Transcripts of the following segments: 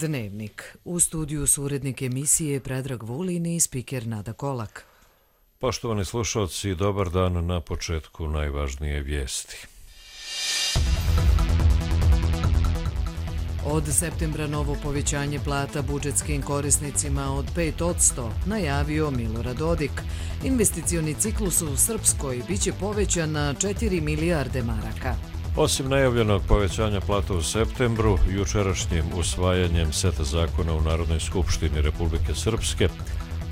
Dnevnik. U studiju su urednik emisije Predrag Vulin i spiker Nada Kolak. Poštovani slušalci, dobar dan. Na početku najvažnije vijesti. Od septembra novo povećanje plata budžetskim korisnicima od 5%, najavio Milorad Dodik. Investicioni ciklus u Srpskoj biće povećan na 4 milijarde maraka. Osim najavljenog povećanja plata u septembru, jučerašnjim usvajanjem seta zakona u Narodnoj skupštini Republike Srpske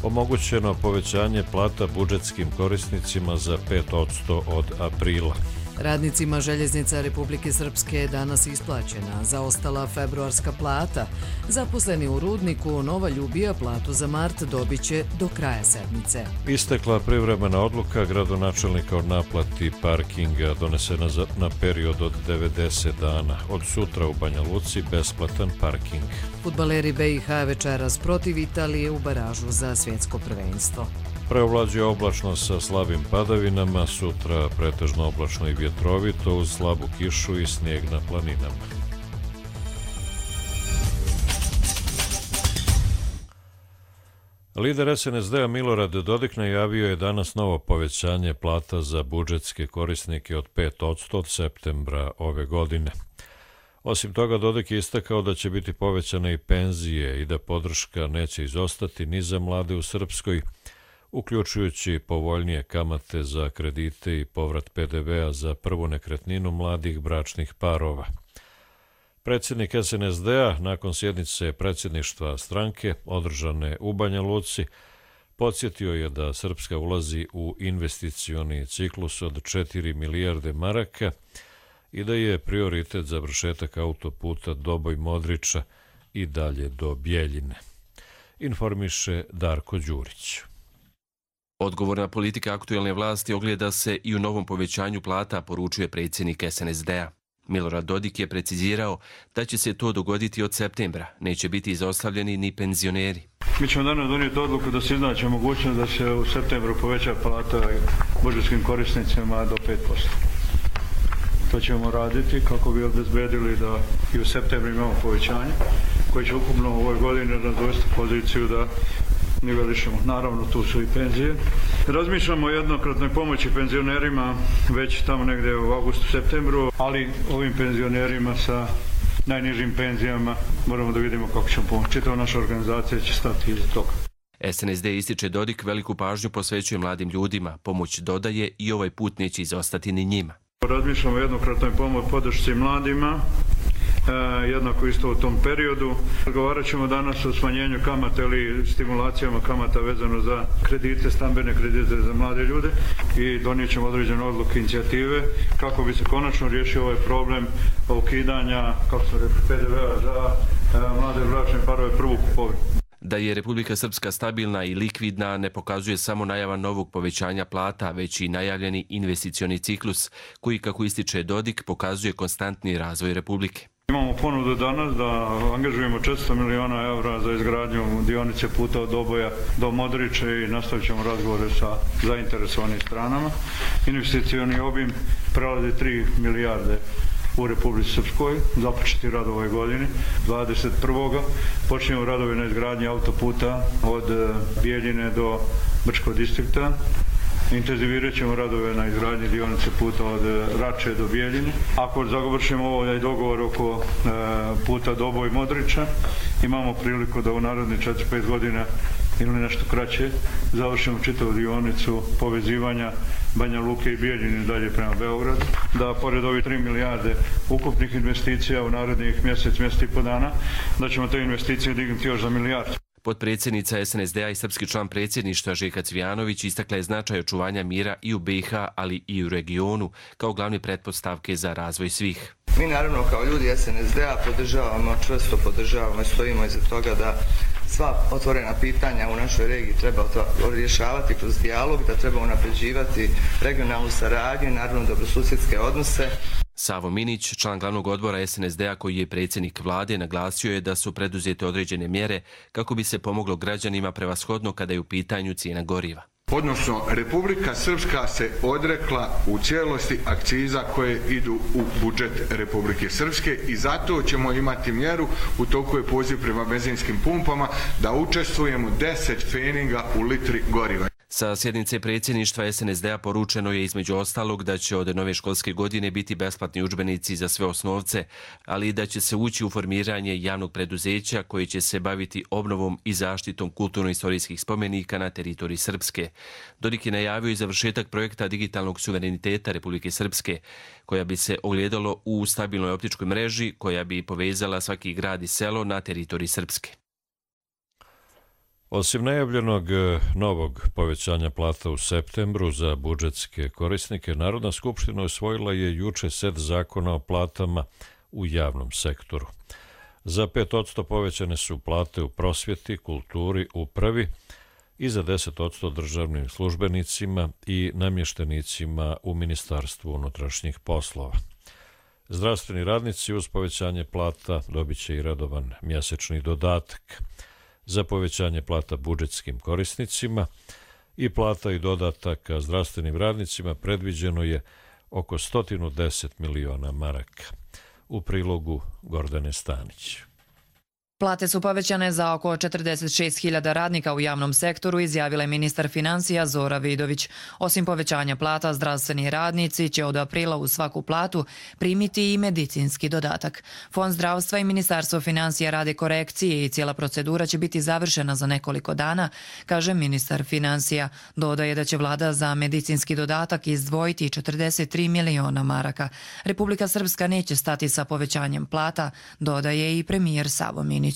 omogućeno povećanje plata budžetskim korisnicima za 5% od aprila. Radnicima Željeznica Republike Srpske je danas isplaćena zaostala februarska plata. Zaposleni u rudniku Nova Ljubija platu za mart dobit će do kraja sedmice. Istekla privremena odluka gradonačelnika o naplati parkinga donesena na period od 90 dana. Od sutra u Banja Luci besplatan parking. Fudbaleri BiH večeras protiv Italije u baražu za svjetsko prvenstvo. Preovlađuje oblačnost sa slabim padavinama, sutra pretežno oblačno i vjetrovito uz slabu kišu i snijeg na planinama. Lider SNSD-a Milorad Dodik najavio je danas novo povećanje plata za budžetske korisnike od 5% od septembra ove godine. Osim toga, Dodik je istakao da će biti povećane i penzije i da podrška neće izostati ni za mlade u Srpskoj, uključujući povoljnije kamate za kredite i povrat PDV-a za prvu nekretninu mladih bračnih parova. Predsjednik SNSD-a nakon sjednice predsjedništva stranke održane u Banja Luci podsjetio je da Srpska ulazi u investicioni ciklus od 4 milijarde maraka i da je prioritet završetak autoputa Doboj-Modriča i dalje do Bjeljine. Informiše Darko Đurić. Odgovorna politika aktuelne vlasti ogleda se i u novom povećanju plata, poručuje predsjednik SNSD-a. Milorad Dodik je precizirao da će se to dogoditi od septembra, neće biti izostavljeni ni penzioneri. Mi ćemo danas donijeti odluku da se iznaće mogućnost da se u septembru poveća plata budžetskim korisnicima do 5%. To ćemo raditi kako bi obezbedili da i u septembru imamo povećanje koje će ukupno u ovoj godini dovesti poziciju da nivelišemo. Naravno, tu su i penzije. Razmišljamo o jednokratnoj pomoći penzionerima već tamo negdje u augustu, septembru, ali ovim penzionerima sa najnižim penzijama moramo da vidimo kako ćemo pomoći. Čitava naša organizacija će stati iza toga. SNSD ističe Dodik veliku pažnju posvećuje mladim ljudima. Pomoć dodaje i ovaj put neće izostati ni njima. Razmišljamo o jednokratnoj podršci mladima, jednako isto u tom periodu. Razgovarat ćemo danas o smanjenju kamata ili stimulacijama kamata vezano za kredite, stambene kredite za mlade ljude i donijet ćemo određene odluke, inicijative kako bi se konačno riješio ovaj problem ukidanja, kako se rekli, PDV-a za mlade bračne parove prvu kupovinu. Da je Republika Srpska stabilna i likvidna ne pokazuje samo najava novog povećanja plata, već i najavljeni investicioni ciklus koji, kako ističe Dodik, pokazuje konstantni razvoj Republike. Imamo ponudu danas da angažujemo 400 miliona eura za izgradnju dionice puta od Doboja do Modriča i nastavit ćemo razgovore sa zainteresovanim stranama. Investicioni obim prelazi 3 milijarde u Republici Srpskoj, započeti rad ove godine, 21. Počinjemo radove na izgradnji autoputa od Bjeljine do Brčkog distrikta. Intenzivirat ćemo radove na izgradnji dionice puta od Rače do Bjeljine. Ako završimo ovaj dogovor oko puta Doboj-Modriča, imamo priliku da u narednih 4-5 godina ili nešto kraće završimo čitavu dionicu povezivanja Banja Luke i Bjeljine dalje prema Beogradu. Da pored ovih 3 milijarde ukupnih investicija u narednih mjesec i po dana, da ćemo te investicije dignuti još za milijardu. Potpredsjednica SNSD-a i srpski član predsjedništva Željka Cvijanović istakla je značaj očuvanja mira i u BiH, ali i u regionu, kao glavne pretpostavke za razvoj svih. Mi naravno kao ljudi SNSD-a čvrsto podržavamo i stojimo iza toga da sva otvorena pitanja u našoj regiji treba rješavati kroz dijalog, da treba unapređivati regionalnu saradnju i naravno dobrosusjedske odnose. Savo Minić, član glavnog odbora SNSD-a koji je predsjednik vlade, naglasio je da su preduzete određene mjere kako bi se pomoglo građanima prevashodno kada je u pitanju cijena goriva. Odnosno, Republika Srpska se odrekla u cijelosti akciza koje idu u budžet Republike Srpske i zato ćemo imati mjeru, u toku je poziv prema benzinskim pumpama, da učestvujemo 10 pfeninga u litri goriva. Sa sjednice predsjedništva SNSD-a poručeno je između ostalog da će od nove školske godine biti besplatni udžbenici za sve osnovce, ali i da će se ući u formiranje javnog preduzeća koje će se baviti obnovom i zaštitom kulturno-istorijskih spomenika na teritoriji Srpske. Dodik je najavio i završetak projekta digitalnog suvereniteta Republike Srpske, koja bi se ogledalo u stabilnoj optičkoj mreži koja bi povezala svaki grad i selo na teritoriji Srpske. Osim najavljenog novog povećanja plata u septembru za budžetske korisnike, Narodna skupština usvojila je juče set zakona o platama u javnom sektoru. Za 5% povećane su plate u prosvjeti, kulturi, upravi i za 10% državnim službenicima i namještenicima u Ministarstvu unutrašnjih poslova. Zdravstveni radnici uz povećanje plata dobit će i redovan mjesečni dodatak. Za povećanje plata budžetskim korisnicima i plata i dodataka zdravstvenim radnicima predviđeno je oko 110 miliona maraka. U prilogu Gordane Stanić. Plate su povećane za oko 46.000 radnika u javnom sektoru, izjavila je ministar financija Zora Vidović. Osim povećanja plata, zdravstveni radnici će od aprila u svaku platu primiti i medicinski dodatak. Fond zdravstva i Ministarstvo financija rade korekcije i cijela procedura će biti završena za nekoliko dana, kaže ministar financija. Dodaje da će vlada za medicinski dodatak izdvojiti 43 miliona maraka. Republika Srpska neće stati sa povećanjem plata, dodaje i premijer Savo Minić.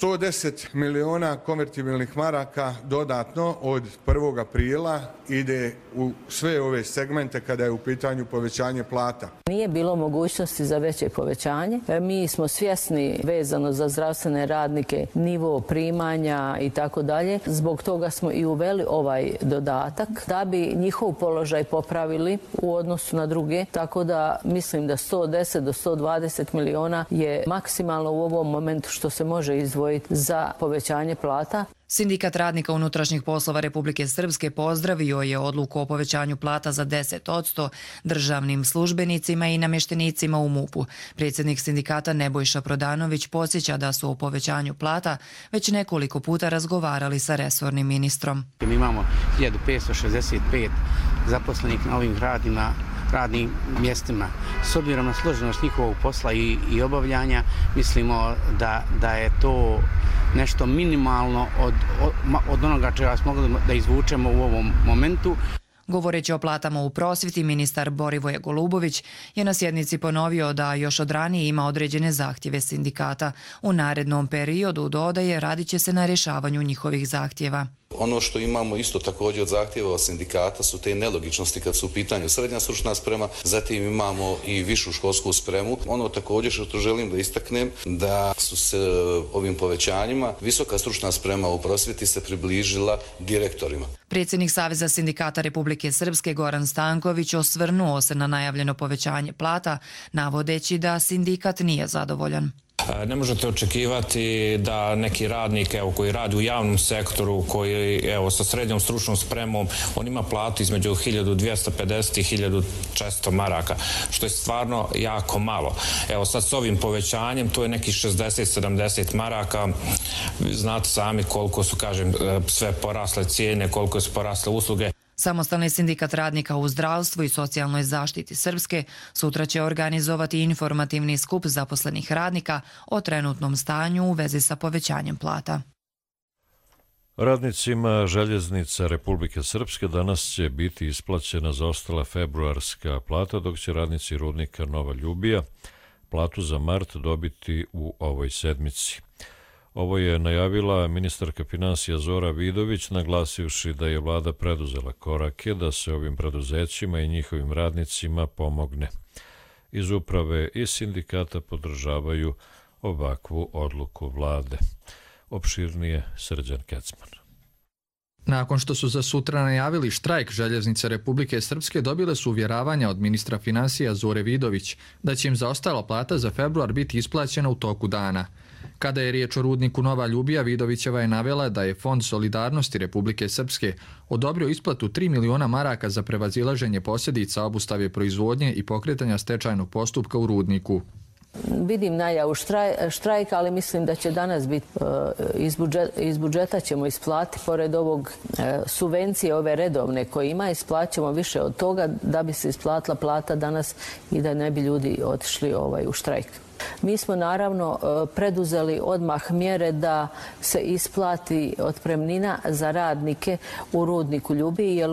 110 miliona konvertibilnih maraka dodatno od 1. aprila ide u sve ove segmente kada je u pitanju povećanje plata. Nije bilo mogućnosti za veće povećanje. Mi smo svjesni vezano za zdravstvene radnike nivo primanja i tako dalje. Zbog toga smo i uveli ovaj dodatak da bi njihov položaj popravili u odnosu na druge. Tako da mislim da 110 do 120 miliona je maksimalno u ovom momentu što se može izdvojiti za povećanje plata. Sindikat radnika unutrašnjih poslova Republike Srpske pozdravio je odluku o povećanju plata za 10% državnim službenicima i namještenicima u MUP-u. Predsjednik sindikata Nebojša Prodanović podsjeća da su o povećanju plata već nekoliko puta razgovarali sa resornim ministrom. Mi imamo 1565 zaposlenih na ovim radnim mjestima. S obzirom na složenost njihovog posla i obavljanja, mislimo da je to nešto minimalno od onoga čega smo mogli da izvučemo u ovom momentu. Govoreći o platama u prosvjeti, ministar Borivoje Golubović je na sjednici ponovio da još od ranije ima određene zahtjeve sindikata. U narednom periodu, dodaje, radit će se na rješavanju njihovih zahtjeva. Ono što imamo isto također od zahtjeva sindikata su te nelogičnosti kad su u pitanju srednja stručna sprema, zatim imamo i višu školsku spremu. Ono također što želim da istaknem da su se ovim povećanjima visoka stručna sprema u prosvjeti se približila direktorima. Predsjednik Saveza sindikata Republike Srpske Goran Stanković osvrnuo se na najavljeno povećanje plata, navodeći da sindikat nije zadovoljan. Ne možete očekivati da neki radnik koji radi u javnom sektoru, koji sa srednjom stručnom spremom, on ima platu između 1250 i 1400 maraka, što je stvarno jako malo. Sad s ovim povećanjem to je nekih 60-70 maraka. Znate sami koliko su, sve porasle cijene, koliko su porasle usluge. Samostalni sindikat radnika u zdravstvu i socijalnoj zaštiti Srpske sutra će organizovati informativni skup zaposlenih radnika o trenutnom stanju u vezi sa povećanjem plata. Radnicima željeznica Republike Srpske danas će biti isplaćena zaostala februarska plata, dok će radnici rudnika Nova Ljubija platu za mart dobiti u ovoj sedmici. Ovo je najavila ministarka financija Zora Vidović, naglasivši da je vlada preduzela korake da se ovim preduzećima i njihovim radnicima pomogne. Iz uprave i sindikata podržavaju ovakvu odluku vlade. Opširnije Srđan Kecman. Nakon što su za sutra najavili štrajk, željeznice Republike Srpske dobile su uvjeravanja od ministra financija Zore Vidović da će im zaostala plata za februar biti isplaćena u toku dana. Kada je riječ o rudniku Nova Ljubija, Vidovićeva je navela da je Fond solidarnosti Republike Srpske odobrio isplatu 3 miliona maraka za prevazilaženje posljedica obustave proizvodnje i pokretanja stečajnog postupka u rudniku. Vidim najavu štrajka, ali mislim da će danas biti iz budžeta ćemo isplatiti, pored ovog subvencije ove redovne koje ima, isplaćamo više od toga da bi se isplatila plata danas i da ne bi ljudi otišli u štrajk. Mi smo naravno preduzeli odmah mjere da se isplati otpremnina za radnike u rudniku Ljubiji, jer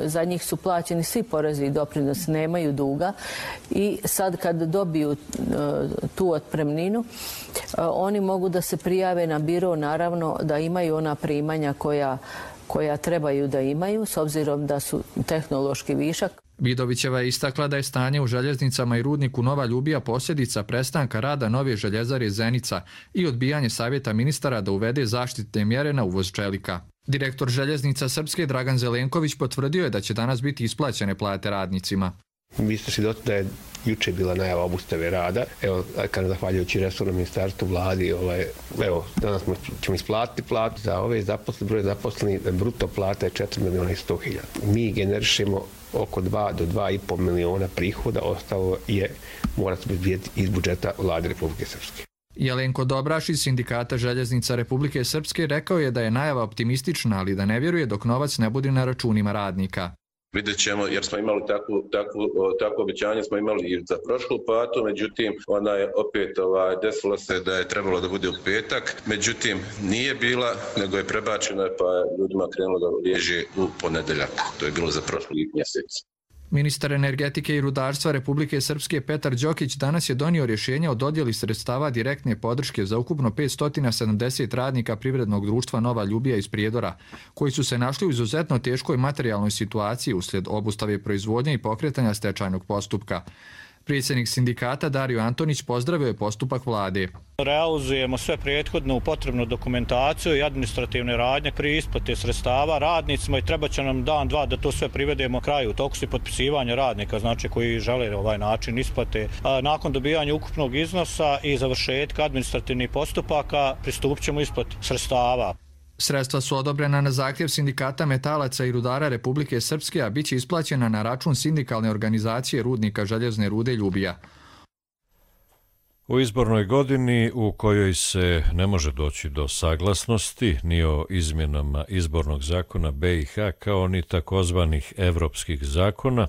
za njih su plaćeni svi porezi i doprinosi, nemaju duga i sad kad dobiju tu otpremninu, oni mogu da se prijave na biro, naravno da imaju ona primanja koja trebaju da imaju, s obzirom da su tehnološki višak. Vidovićeva je istakla da je stanje u željeznicama i rudniku Nova Ljubija posljedica prestanka rada nove željezare Zenica i odbijanje savjeta ministara da uvede zaštitne mjere na uvoz čelika. Direktor Željeznica Srpske Dragan Zelenković potvrdio je da će danas biti isplaćene plate radnicima. Vi ste svjedoci da je juče bila najava obustave rada. Evo, kada zahvaljujući resornom ministarstvu, vladi, evo, danas ćemo isplatiti platu za ove zaposlene, broj zaposlenih, bruto plata je 4.100.000. Mi generišemo oko 2 do 2,5 miliona prihoda, ostalo mora se biti iz budžeta vlade Republike Srpske. Jelenko Dobraš iz Sindikata Željeznica Republike Srpske rekao je da je najava optimistična, ali da ne vjeruje dok novac ne bude na računima radnika. Vidjet ćemo, jer smo imali takvo obećanje, smo imali i za prošlu platu, međutim, ona je opet desilo se da je trebalo da bude u petak, međutim, nije bila, nego je prebačena, pa ljudima krenulo da liježe u ponedeljak. To je bilo za prošli mjesec. Ministar energetike i rudarstva Republike Srpske Petar Đokić danas je donio rješenje o dodjeli sredstava direktne podrške za ukupno 570 radnika privrednog društva Nova Ljubija iz Prijedora, koji su se našli u izuzetno teškoj materijalnoj situaciji uslijed obustave proizvodnje i pokretanja stečajnog postupka. Predsjednik sindikata Dario Antonić pozdravio je postupak vlade. Realizujemo sve prethodnu potrebnu dokumentaciju i administrativne radnje pri isplati sredstava radnicima i treba će nam dan, dva da to sve privedemo kraju. U toku su potpisivanja radnika, znači koji žele ovaj način isplate. Nakon dobijanja ukupnog iznosa i završetka administrativnih postupaka pristupit ćemo isplati sredstava. Sredstva su odobrena na zahtjev Sindikata metalaca i rudara Republike Srpske, a bit će isplaćena na račun sindikalne organizacije rudnika željezne rude Ljubija. U izbornoj godini u kojoj se ne može doći do saglasnosti ni o izmjenama izbornog zakona BiH kao ni takozvanih evropskih zakona,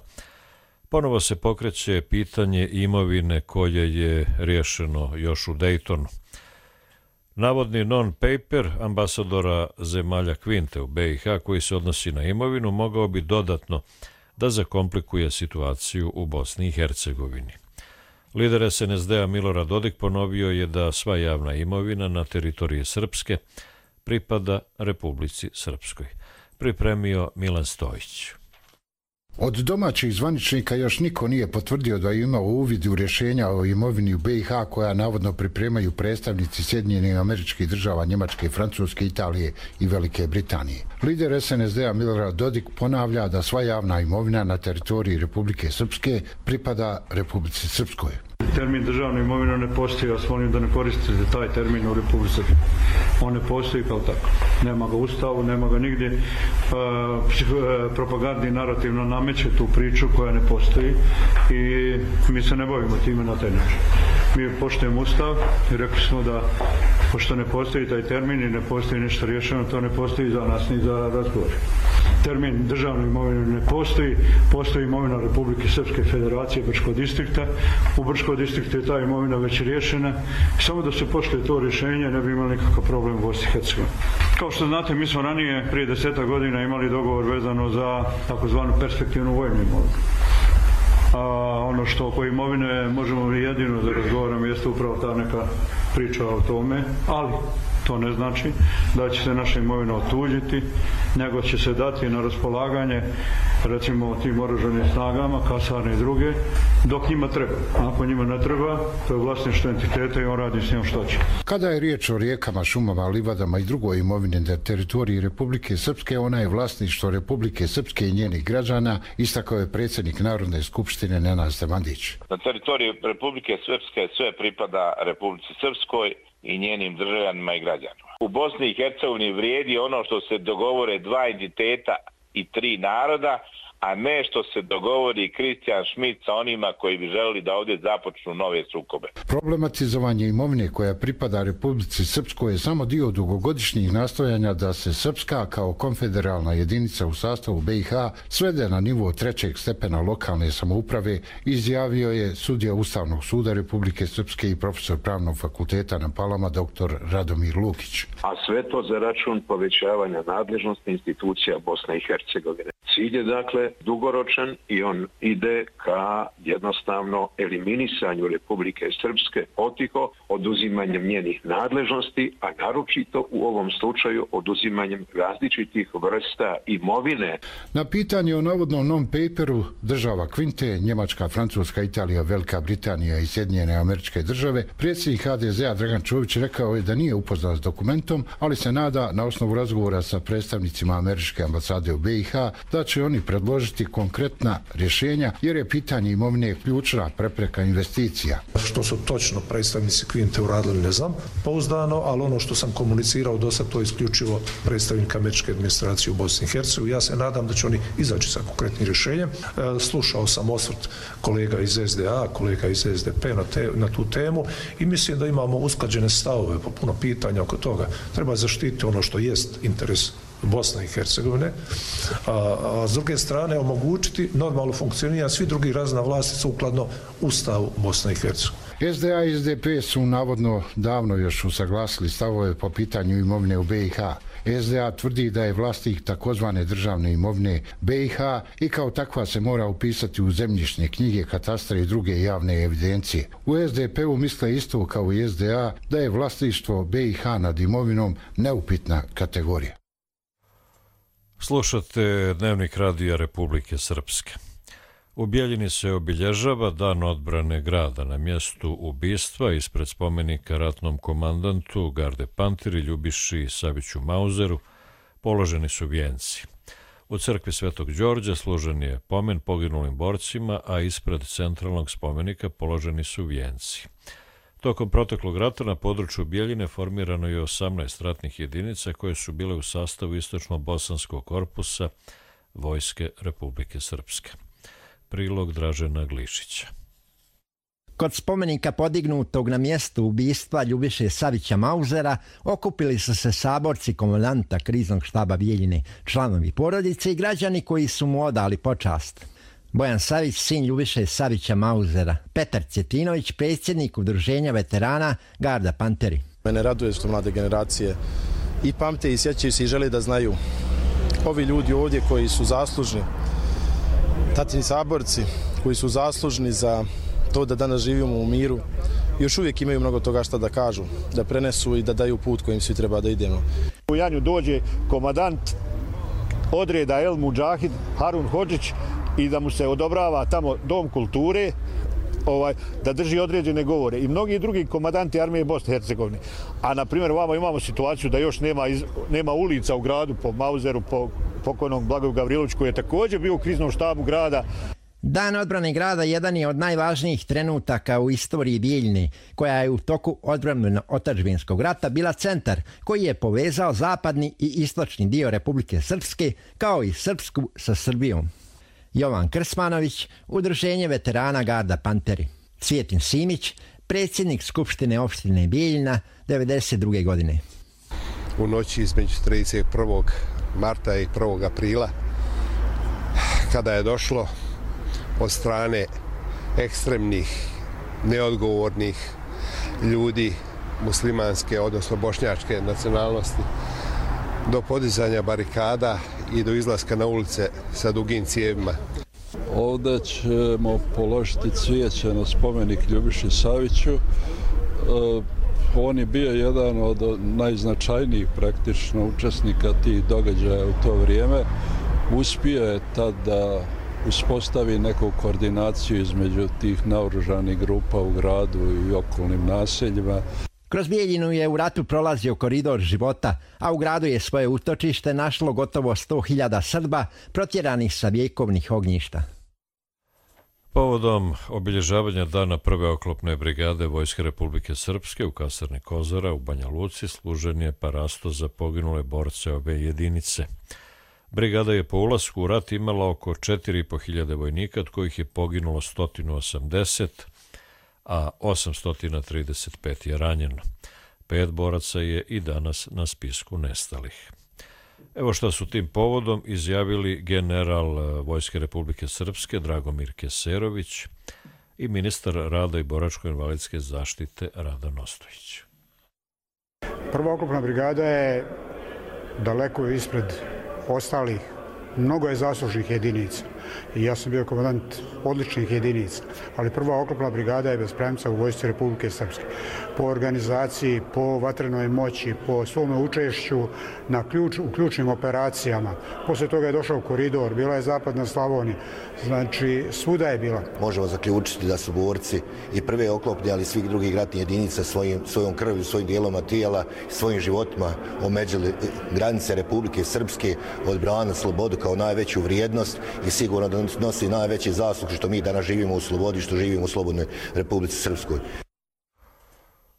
ponovo se pokreće pitanje imovine koje je riješeno još u Dejtonu. Navodni non-paper ambasadora zemalja Kvinte u BiH koji se odnosi na imovinu mogao bi dodatno da zakomplikuje situaciju u Bosni i Hercegovini. Lider SNSD-a Milorad Dodik ponovio je da sva javna imovina na teritoriji Srpske pripada Republici Srpskoj. Pripremio Milan Stojić. Od domaćih zvaničnika još niko nije potvrdio da je imao uvid u rješenja o imovini u BiH koja navodno pripremaju predstavnici Sjedinjenih Američkih Država, Njemačke, Francuske, Italije i Velike Britanije. Lider SNSD-a Milorad Dodik ponavlja da sva javna imovina na teritoriji Republike Srpske pripada Republici Srpskoj. Termin državna imovina ne postoji, ja vas molim da ne koristite taj termin u Republici Srpskoj. On ne postoji kao tako. Nema ga u Ustavu, nema ga nigdje. Propagandni narativno nameće tu priču koja ne postoji i mi se ne bavimo time na taj način. Mi poštujemo Ustav i rekli smo da pošto ne postoji taj termin i ne postoji nešto rješeno, to ne postoji za nas ni za razgovor. Termin državne imovine ne postoji, postoji imovina Republike Srpske Federacije Brčkog distrikta. U Brčkog distriktu je ta imovina već riješena. Samo da se poštuje to rješenje ne bi imali nikakav problem u Bosni i Hercegovini. Kao što znate, mi smo ranije prije 10 godina imali dogovor vezano za takozvanu perspektivnu vojnu imovinu. Ono što oko imovine možemo jedino da razgovaramo jeste upravo ta neka priča o tome, ali to ne znači da će se naša imovina otuđiti, nego će se dati na raspolaganje recimo tim oružanim snagama, kasarne i druge, dok njima treba. Ako njima ne treba, to je vlasništvo entiteta i on radi s njom što će. Kada je riječ o rijekama, šumama, livadama i drugoj imovine na teritoriji Republike Srpske, ona je vlasništvo Republike Srpske i njenih građana, istakao je predsjednik Narodne skupštine Nenad Stemandić. Na teritoriji Republike Srpske sve pripada Republici Srpskoj i njenim državljanima i građanima. U Bosni i Hercegovini vrijedi ono što se dogovore dva entiteta i tri naroda, a ne što se dogovori Kristijan Šmit sa onima koji bi želeli da ovdje započnu nove sukobe. Problematizovanje imovine koja pripada Republici Srpskoj je samo dio dugogodišnjih nastojanja da se Srpska kao konfederalna jedinica u sastavu BiH svede na nivo 3. stepena lokalne samouprave, izjavio je sudija Ustavnog suda Republike Srpske i profesor Pravnog fakulteta na Palama dr. Radomir Lukić. A sve to za račun povećavanja nadležnosti institucija Bosne i Hercegovine. Cilj je dakle dugoročan i on ide ka jednostavno eliminisanju Republike Srpske potiho, oduzimanjem njenih nadležnosti, a naročito u ovom slučaju oduzimanjem različitih vrsta imovine. Na pitanje o navodnom non-paperu država Kvinte, Njemačka, Francuska, Italija, Velika Britanija i Sjedinjene Američke Države, predsjednik HDZ-a Dragan Čović rekao je da nije upoznat s dokumentom, ali se nada na osnovu razgovora sa predstavnicima Američke ambasade u BiH da će oni predložiti konkretna rješenja, jer je pitanje imovine ključna prepreka investicija. Što su točno predstavnici Kvinte uradili, ne znam pouzdano, ali ono što sam komunicirao do sad, to je isključivo predstavnik američke administracije u Bosni i Hercegovini. Ja se nadam da će oni izaći sa konkretnim rješenjem. Slušao sam osvrt kolega iz SDA, kolega iz SDP na tu temu i mislim da imamo usklađene stavove po puno pitanja oko toga. Treba zaštititi ono što jest interes Bosne i Hercegovine, a s druge strane omogućiti normalno funkcioniranje svih drugih razina vlasti sukladno Ustavu Bosne i Hercegovine. SDA i SDP su navodno davno još usaglasili stavove po pitanju imovine u BiH. SDA tvrdi da je vlasnik takozvane državne imovine BiH i kao takva se mora upisati u zemljišne knjige, katastra i druge javne evidencije. U SDP-u misle isto kao i SDA da je vlasništvo BiH nad imovinom neupitna kategorija. Slušate Dnevnik radija Republike Srpske. U Bjeljini se obilježava Dan odbrane grada. Na mjestu ubistva ispred spomenika ratnom komandantu Garde Panteri Ljubiši Saviću Mauzeru položeni su vijenci. U crkvi Svetog Đorđa služen je pomen poginulim borcima, a ispred centralnog spomenika položeni su vijenci. Tokom proteklog rata na području Bjeljine formirano je 18 ratnih jedinica koje su bile u sastavu Istočno-Bosanskog korpusa Vojske Republike Srpske. Prilog Dražena Glišića. Kod spomenika podignutog na mjestu ubistva Ljubiše Savića Mauzera okupili su se saborci komandanta kriznog štaba Bjeljine, članovi porodice i građani koji su mu odali počast. Bojan Savić, sin Ljubiše Savića Mauzera, Petar Cjetinović, predsjednik udruženja veterana Garda Panteri. Mene raduje što mlade generacije i pamte i sjećaju se i žele da znaju. Ovi ljudi ovdje koji su zaslužni, tatini saborci koji su zaslužni za to da danas živimo u miru, još uvijek imaju mnogo toga šta da kažu, da prenesu i da daju put kojim svi treba da idemo. U Janju dođe komadant odreda El Mudžahid Harun Hodžić i da mu se odobrava tamo dom kulture, da drži određene govore i mnogi drugi komandanti armije Bosne i Hercegovine. A na primjer ovamo imamo situaciju da još nema ulica u gradu po Mauzeru, po pokojnom Blagoju Gavriloviću koji je također bio u kriznom štabu grada. Dan odbrane grada jedan je od najvažnijih trenutaka u istoriji Bjeljine, koja je u toku odbrambeno-otadžbinskog rata bila centar koji je povezao zapadni i istočni dio Republike Srpske kao i Srpsku sa Srbijom. Jovan Krsmanović, udruženje veterana Garda Panteri. Cvjetin Simić, predsjednik Skupštine opštine Bjeljina, 1992. godine. U noći između 31. marta i 1. aprila, kada je došlo od strane ekstremnih, neodgovornih ljudi muslimanske, odnosno bošnjačke nacionalnosti, do podizanja barikada i do izlaska na ulice sa dugim cijevima. Ovdje ćemo položiti cvijeće na spomenik Ljubiši Saviću. On je bio jedan od najznačajnijih praktično učesnika tih događaja u to vrijeme. uspio je tad da uspostavi neku koordinaciju između tih naoružanih grupa u gradu i okolnim naseljima. Kroz Bijeljinu je u ratu prolazio koridor života, a u gradu je svoje utočište našlo gotovo 100.000 Srba protjeranih sa vjekovnih ognjišta. Povodom obilježavanja dana prve oklopne brigade Vojske Republike Srpske u kasarni Kozara u Banja Luci služen je parasto za poginule borce ove jedinice. Brigada je po ulasku u rat imala oko 4.500 vojnika, od kojih je poginulo 180, a 835 je ranjeno. 5 boraca je i danas na spisku nestalih. Evo što su tim povodom izjavili general Vojske Republike Srpske Dragomir Keserović i ministar rada i boračko-invalidske zaštite Radan Ostojić. Prva oklopna brigada je daleko ispred ostalih. Mnogo je zaslužnih jedinica i ja sam bio komandant odličnih jedinica, ali prva oklopna brigada je bez premca u Vojsci Republike Srpske. Po organizaciji, po vatrenoj moći, po svom učešću u ključnim operacijama. Posle toga je došao koridor, bila je zapadna Slavonija, znači svuda je bila. Možemo zaključiti da su borci i prve oklopne, ali i svih drugih ratnih jedinica svojom krvlju, svojim dijeloma tijela, svojim životima omeđili granice Republike Srpske, odbranili slobodu kao najveću vrijednost i sigurno da nosi najveći zaslug što mi danas živimo u slobodi, što živimo u slobodnoj Republici Srpskoj.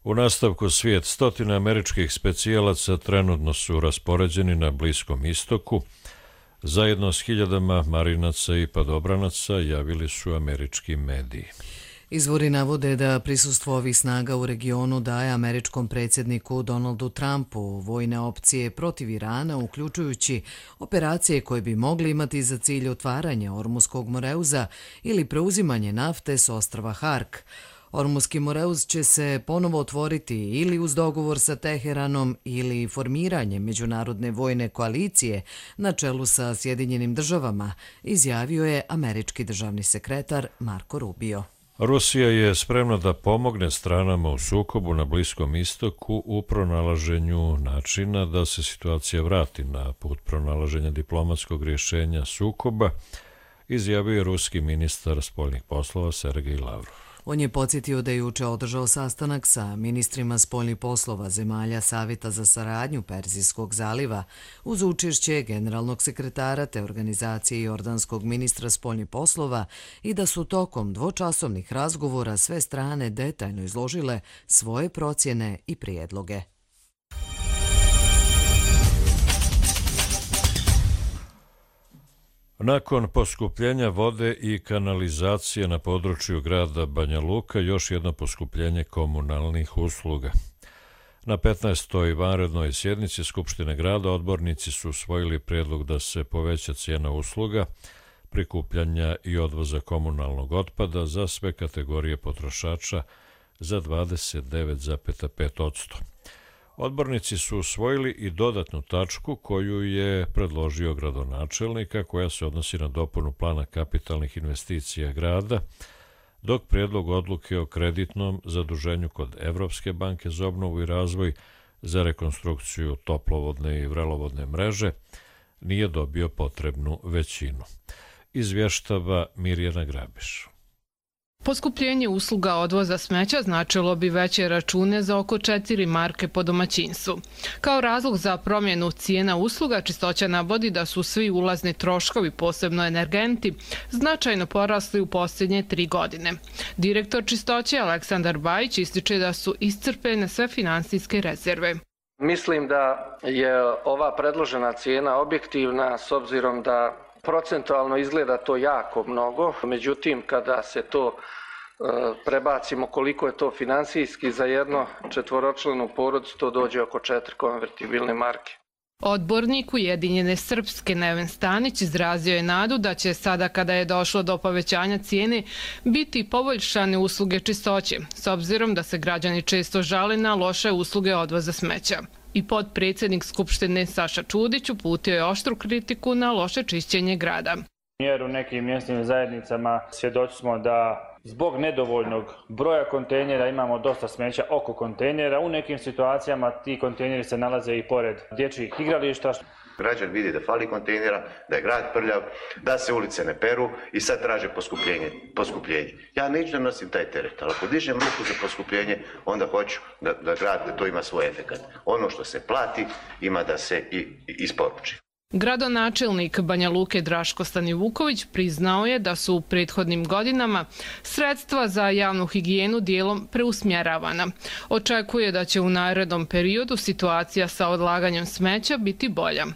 U nastavku svijet, 100 američkih specijalaca trenutno su raspoređeni na Bliskom istoku. Zajedno s 1000 marinaca i padobranaca javili su američki mediji. Izvori navode da prisustvo ovih snaga u regionu daje američkom predsjedniku Donaldu Trumpu vojne opcije protiv Irana, uključujući operacije koje bi mogli imati za cilj otvaranje Ormuskog moreuza ili preuzimanje nafte s ostrva Hark. Ormuski moreuz će se ponovo otvoriti ili uz dogovor sa Teheranom ili formiranjem međunarodne vojne koalicije na čelu sa Sjedinjenim državama, izjavio je američki državni sekretar Marco Rubio. Rusija je spremna da pomogne stranama u sukobu na Bliskom istoku u pronalaženju načina da se situacija vrati na put pronalaženja diplomatskog rješenja sukoba, izjavio je ruski ministar spoljnih poslova Sergej Lavrov. On je podsjetio da je juče održao sastanak sa ministrima spoljnih poslova zemalja Savjeta za saradnju Perzijskog zaliva uz učešće generalnog sekretara te organizacije jordanskog ministra spoljnih poslova i da su tokom dvočasovnih razgovora sve strane detaljno izložile svoje procjene i prijedloge. Nakon poskupljenja vode i kanalizacije na području grada Banja Luka, još jedno poskupljenje komunalnih usluga. Na 15. vanrednoj sjednici Skupštine grada odbornici su usvojili prijedlog da se poveća cijena usluga, prikupljanja i odvoza komunalnog otpada za sve kategorije potrošača za 29,5%. Odbornici su usvojili i dodatnu tačku koju je predložio gradonačelnika, koja se odnosi na dopunu plana kapitalnih investicija grada, dok prijedlog odluke o kreditnom zaduženju kod Evropske banke za obnovu i razvoj za rekonstrukciju toplovodne i vrelovodne mreže nije dobio potrebnu većinu. Izvještava Mirjana Grabiš. Poskupljenje usluga odvoza smeća značilo bi veće račune za oko 4 marke po domaćinstvu. Kao razlog za promjenu cijena usluga, Čistoća navodi da su svi ulazni troškovi, posebno energenti, značajno porasli u posljednje 3 godine. Direktor Čistoće Aleksandar Bajić ističe da su iscrpljene sve finansijske rezerve. Mislim da je ova predložena cijena objektivna s obzirom da procentualno izgleda to jako mnogo, međutim kada se to prebacimo koliko je to finansijski za jedno četvoročlanu porodicu, to dođe oko 4 konvertibilne marke. Odbornik Ujedinjene Srpske Neven Stanić izrazio je nadu da će sada kada je došlo do povećanja cijene biti poboljšane usluge čistoće, s obzirom da se građani često žale na loše usluge odvoza smeća. I potpredsjednik Skupštine Saša Čudić uputio je oštru kritiku na loše čišćenje grada. Jer u nekim mjesnim zajednicama svjedoci smo da zbog nedovoljnog broja kontejnera imamo dosta smeća oko kontejnera. U nekim situacijama ti kontejneri se nalaze i pored dječjih igrališta. Građani vidi da fali kontejnera, da je grad prljav, da se ulice ne peru i sad traže poskupljenje. Ja neću da nosim taj teret, ali ako dižem ruku za poskupljenje, onda hoću da grad da to ima svoj efekat. Ono što se plati ima da se i isporuči. Gradonačelnik Banja Luke Draško Stanivuković priznao je da su u prethodnim godinama sredstva za javnu higijenu dijelom preusmjeravana. Očekuje da će u narednom periodu situacija sa odlaganjem smeća biti bolja.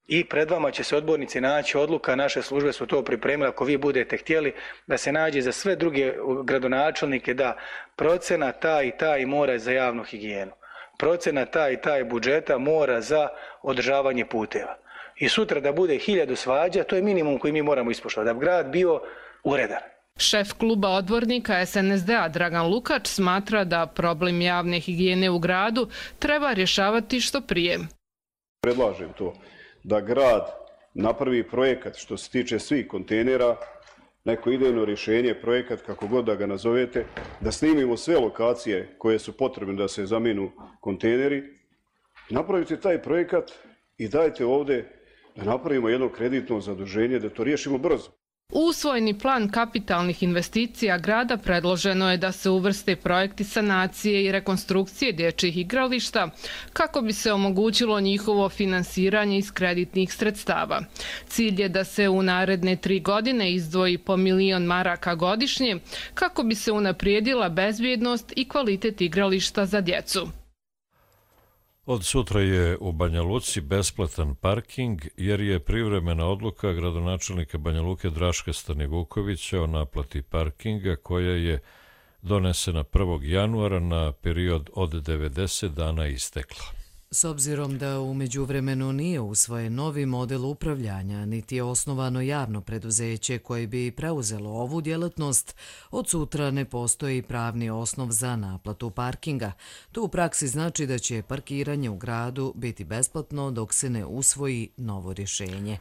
I pred vama će se odbornici naći odluka, naše službe su to pripremile, ako vi budete htjeli, da se nađe za sve druge gradonačelnike da procena ta i ta i mora za javnu higijenu. Procena ta i ta budžeta mora za održavanje puteva. I sutra da bude 1000 svađa, to je minimum koji mi moramo ispoštovati, da bi grad bio uredan. Šef kluba odbornika SNSD-a Dragan Lukač smatra da problem javne higijene u gradu treba rješavati što prije. Predlažem to da grad napravi projekat što se tiče svih kontejnera, neko idejno rješenje, projekat kako god da ga nazovete, da snimimo sve lokacije koje su potrebne da se zamijenu kontejneri, napravite taj projekat i dajte ovdje da napravimo jedno kreditno zaduženje, da to riješimo brzo. U usvojeni plan kapitalnih investicija grada predloženo je da se uvrste projekti sanacije i rekonstrukcije dječjih igrališta kako bi se omogućilo njihovo finansiranje iz kreditnih sredstava. Cilj je da se u naredne 3 godine izdvoji po 1 milion maraka godišnje kako bi se unaprijedila bezbjednost i kvalitet igrališta za djecu. Od sutra je u Banja Luci besplatan parking jer je privremena odluka gradonačelnika Banja Luke Draška Stanivukovića o naplati parkinga koja je donesena 1. januara na period od 90 dana istekla. S obzirom da u međuvremenu nije usvojen novi model upravljanja, niti je osnovano javno preduzeće koje bi preuzelo ovu djelatnost, od sutra ne postoji pravni osnov za naplatu parkinga. To u praksi znači da će parkiranje u gradu biti besplatno dok se ne usvoji novo rješenje.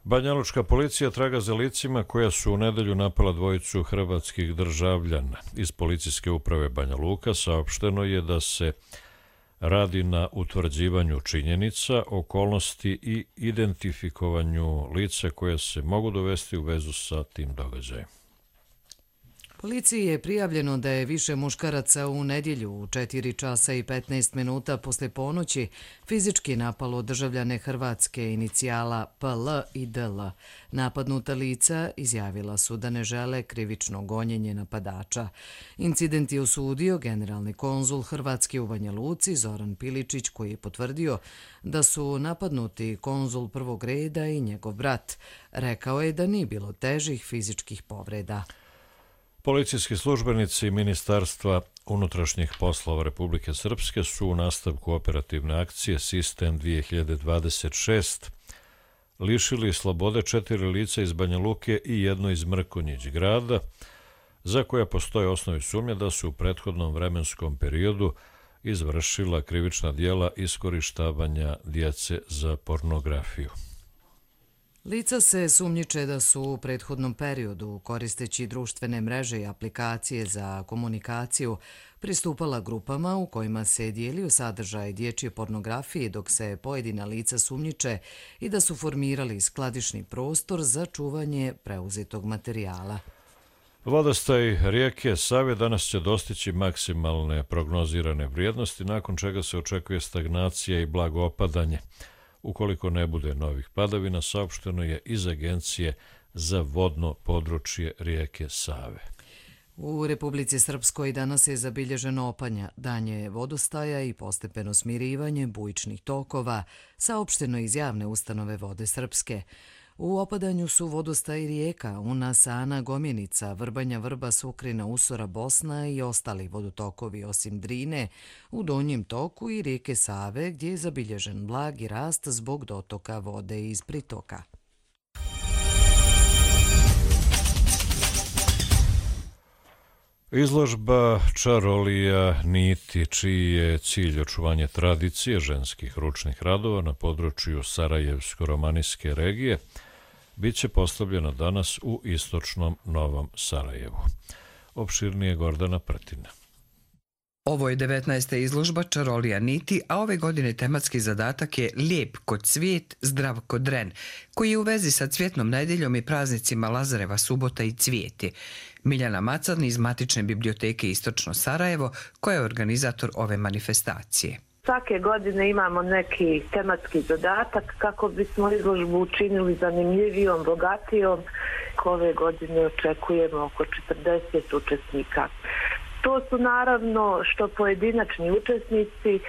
Banjalučka policija traga za licima koja su u nedelju napala 2 hrvatskih državljana. Iz policijske uprave Banja Luka saopšteno je da se radi na utvrđivanju činjenica, okolnosti i identifikovanju lica koje se mogu dovesti u vezu sa tim događajem. Policiji je prijavljeno da je više muškaraca u nedjelju u 4 časa i 15 minuta posle ponoći fizički napalo državljane Hrvatske inicijala PL i DL. Napadnuta lica izjavila su da ne žele krivično gonjenje napadača. Incident je osudio generalni konzul Hrvatske u Banja Luci Zoran Piličić koji je potvrdio da su napadnuti konzul prvog reda i njegov brat. Rekao je da nije bilo težih fizičkih povreda. Policijski službenici Ministarstva unutrašnjih poslova Republike Srpske su u nastavku operativne akcije Sistem 2026 lišili slobode 4 lica iz Banja Luke i 1 iz Mrkonjić grada, za koja postoje osnovi sumnje da su u prethodnom vremenskom periodu izvršila krivična djela iskorištavanja djece za pornografiju. Lica se sumnjiče da su u prethodnom periodu, koristeći društvene mreže i aplikacije za komunikaciju, pristupala grupama u kojima se dijelio sadržaj dječje pornografije dok se pojedina lica sumnjiče i da su formirali skladišni prostor za čuvanje preuzetog materijala. Vodostaj rijeke Save danas će dostići maksimalne prognozirane vrijednosti, nakon čega se očekuje stagnacija i blago opadanje. Ukoliko ne bude novih padavina, saopšteno je iz Agencije za vodno područje rijeke Save. U Republici Srpskoj danas je zabilježeno opadanje vodostaja i postepeno smirivanje bujičnih tokova, saopšteno iz javne ustanove Vode Srpske. U opadanju su vodostaj rijeka Una, Sana, Gomjenica, Vrbanja, Vrba, Sukrina, Usora, Bosna i ostali vodotokovi osim Drine, u donjem toku i rijeke Save gdje je zabilježen blagi rast zbog dotoka vode iz pritoka. Izložba čarolija niti, čiji je cilj očuvanje tradicije ženskih ručnih radova na području Sarajevsko-romanijske regije, bit će postavljena danas u istočnom Novom Sarajevu. Opširnije Gordana Prtina. Ovo je 19. izložba Čarolija niti, a ove godine tematski zadatak je Lijep kod cvijet, zdrav kod dren, koji je u vezi sa Cvjetnom nedeljom i praznicima Lazareva subota i cvijeti. Miljana Macan iz Matične biblioteke Istočno Sarajevo, koja je organizator ove manifestacije. Svake godine imamo neki tematski zadatak kako bismo izložbu učinili zanimljivijom, bogatijom. Ove godine očekujemo oko 40 učesnika. To su naravno što pojedinačni učesnici,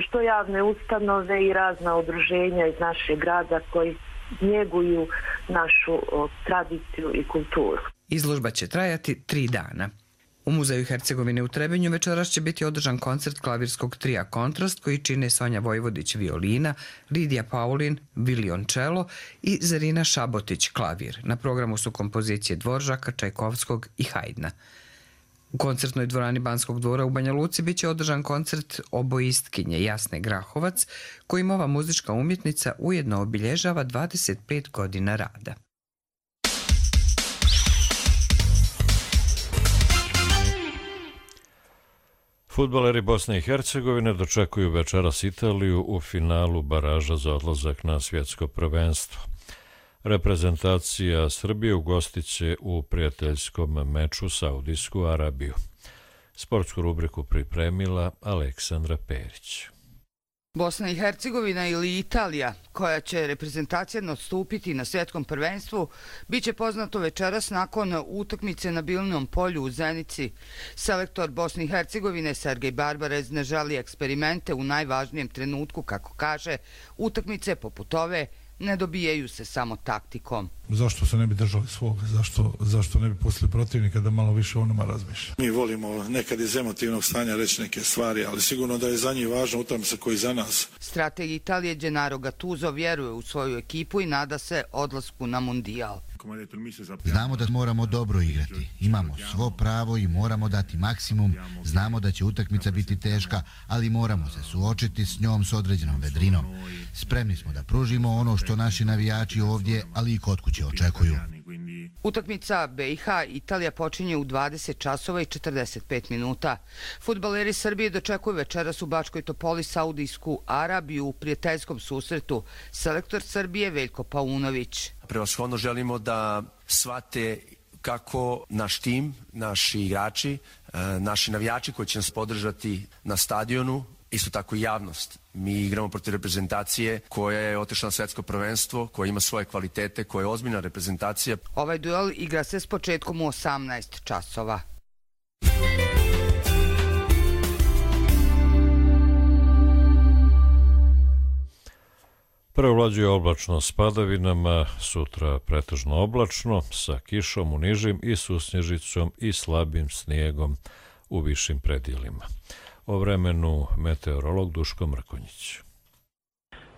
što javne ustanove i razna udruženja iz našeg grada koji njeguju našu tradiciju i kulturu. Izložba će trajati 3 dana. U Muzeju Hercegovine u Trebinju večeras će biti održan koncert klavirskog trija Kontrast koji čine Sonja Vojvodić violina, Lidija Paulin violončelo i Zarina Šabotić klavir. Na programu su kompozicije Dvoržaka, Čajkovskog i Hajdna. U koncertnoj dvorani Banskog dvora u Banja Luci biće održan koncert oboistkinje Jasne Grahovac, kojim ova muzička umjetnica ujedno obilježava 25 godina rada. Fudbaleri Bosne i Hercegovine dočekuju večeras Italiju u finalu baraža za odlazak na svjetsko prvenstvo. Reprezentacija Srbije ugostit će u prijateljskom meču Saudijsku Arabiju. Sportsku rubriku pripremila Aleksandra Perić. Bosna i Hercegovina ili Italija, koja će reprezentacija nastupiti na svjetskom prvenstvu, bit će poznato večeras nakon utakmice na Bilnom polju u Zenici. Selektor Bosne i Hercegovine Sergej Barbarez ne želi eksperimente u najvažnijem trenutku, kako kaže, utakmice poput ove ne dobijaju se samo taktikom. Zašto se ne bi držali svoga? Zašto ne bi pustili protivnika da malo više o nama razmišlja? Mi volimo nekad iz emotivnog stanja reći neke stvari, ali sigurno da je za njih važna utakmica koji za nas. Strateg Italije Gennaro Gattuso vjeruje u svoju ekipu i nada se odlasku na mundijal. Znamo da moramo dobro igrati, imamo svo pravo i moramo dati maksimum, znamo da će utakmica biti teška, ali moramo se suočiti s njom s određenom vedrinom. Spremni smo da pružimo ono što naši navijači ovdje, ali i kod kuće očekuju. Utakmica BiH Italija počinje u 20 časova i 45 minuta. Fudbaleri Srbije dočekuju večeras u Bačkoj Topoli Saudijsku Arabiju u prijateljskom susretu. Selektor Srbije Veljko Paunović. Prevashodno želimo da shvate kako naš tim, naši igrači, naši navijači koji će nas podržati na stadionu, isto tako i javnost. Mi igramo protiv reprezentacije koja je otišla na svjetsko prvenstvo, koja ima svoje kvalitete, koja je ozbiljna reprezentacija. Ovaj duel igra se s početkom u 18 časova. Prevlađuje oblačno s padavinama, sutra pretežno oblačno, sa kišom u nižim i susnježicom i slabim snijegom u višim predjelima. O vremenu meteorolog Duško Mrkonjić.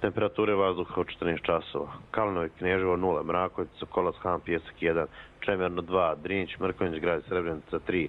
Temperature vazduha od 14 časova. Kalinovi, Kneževo 0, Mrakovica, Sokolac, Han, Pjesak 1, Čemerno 2, Drinić, Mrkonjić, Grad Srebrenica 3,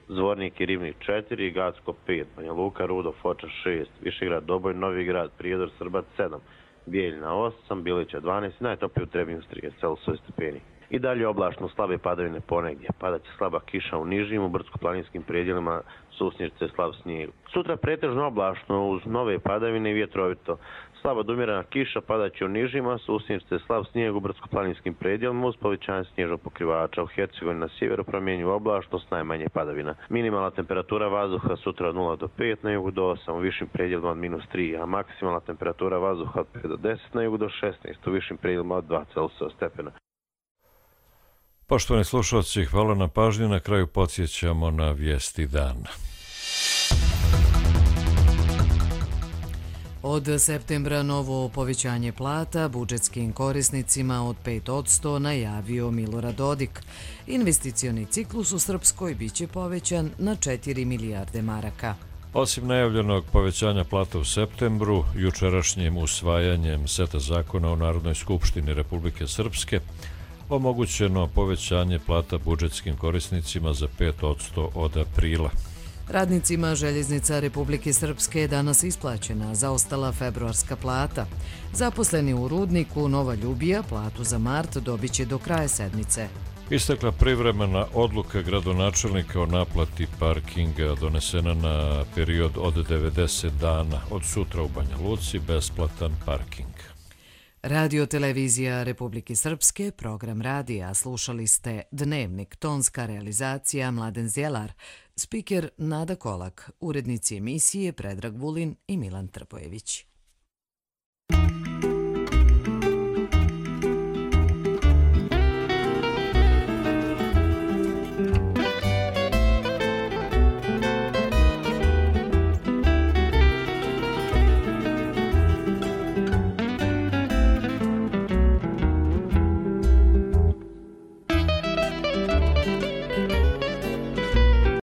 Zvornik i Rivnik 4, Gacko 5, Banja Luka, Rudo, Foča 6, Višegrad, Doboj, Novi Grad, Prijedor, Srbac 7, Bijeljina 8, Bilića 12, najtoplije u Trebinju 30 Celsius stepeni. I dalje oblačno, slabe padavine ponegdje. Padaće slaba kiša u nižim, u brdsko-planinskim predjelima, susnježice, slab snijeg. Sutra pretežno oblačno uz nove padavine i vjetrovito. Slaba do umjerena kiša padaće u nižima, susnježice, slab snijeg u brdsko-planinskim predjelima uz povećanje snježnog pokrivača. U Hercegovini na sjeveru promjenjiva oblačnost, najmanje padavina. Minimalna temperatura vazduha sutra od 0 do 5, na jugu do 8, u višim predjelima od -3, a maksimalna temperatura vazduha od 5 do 10, na jugu do 16, u višim predjelima od 2 Celsius stepena. Poštovani slušalci, hvala na pažnju. Na kraju podsjećamo na vijesti dana. Od septembra novo povećanje plata budžetskim korisnicima od 5% najavio Milorad Dodik. Investicioni ciklus u Srpskoj biće povećan na 4 milijarde maraka. Osim najavljenog povećanja plata u septembru, jučerašnjim usvajanjem seta zakona u Narodnoj skupštini Republike Srpske omogućeno povećanje plata budžetskim korisnicima za 5% od aprila. Radnicima Željeznica Republike Srpske je danas isplaćena zaostala februarska plata. Zaposleni u rudniku Nova Ljubija platu za mart dobit će do kraja sedmice. Istekla privremena odluka gradonačelnika o naplati parkinga donesena na period od 90 dana. Od sutra u Banja Luci besplatan parking. Radio Televizija Republike Srpske, program radija, slušali ste Dnevnik, tonska realizacija Mladen Zjelar, spiker Nada Kolak, urednici emisije Predrag Vulin i Milan Trpojević.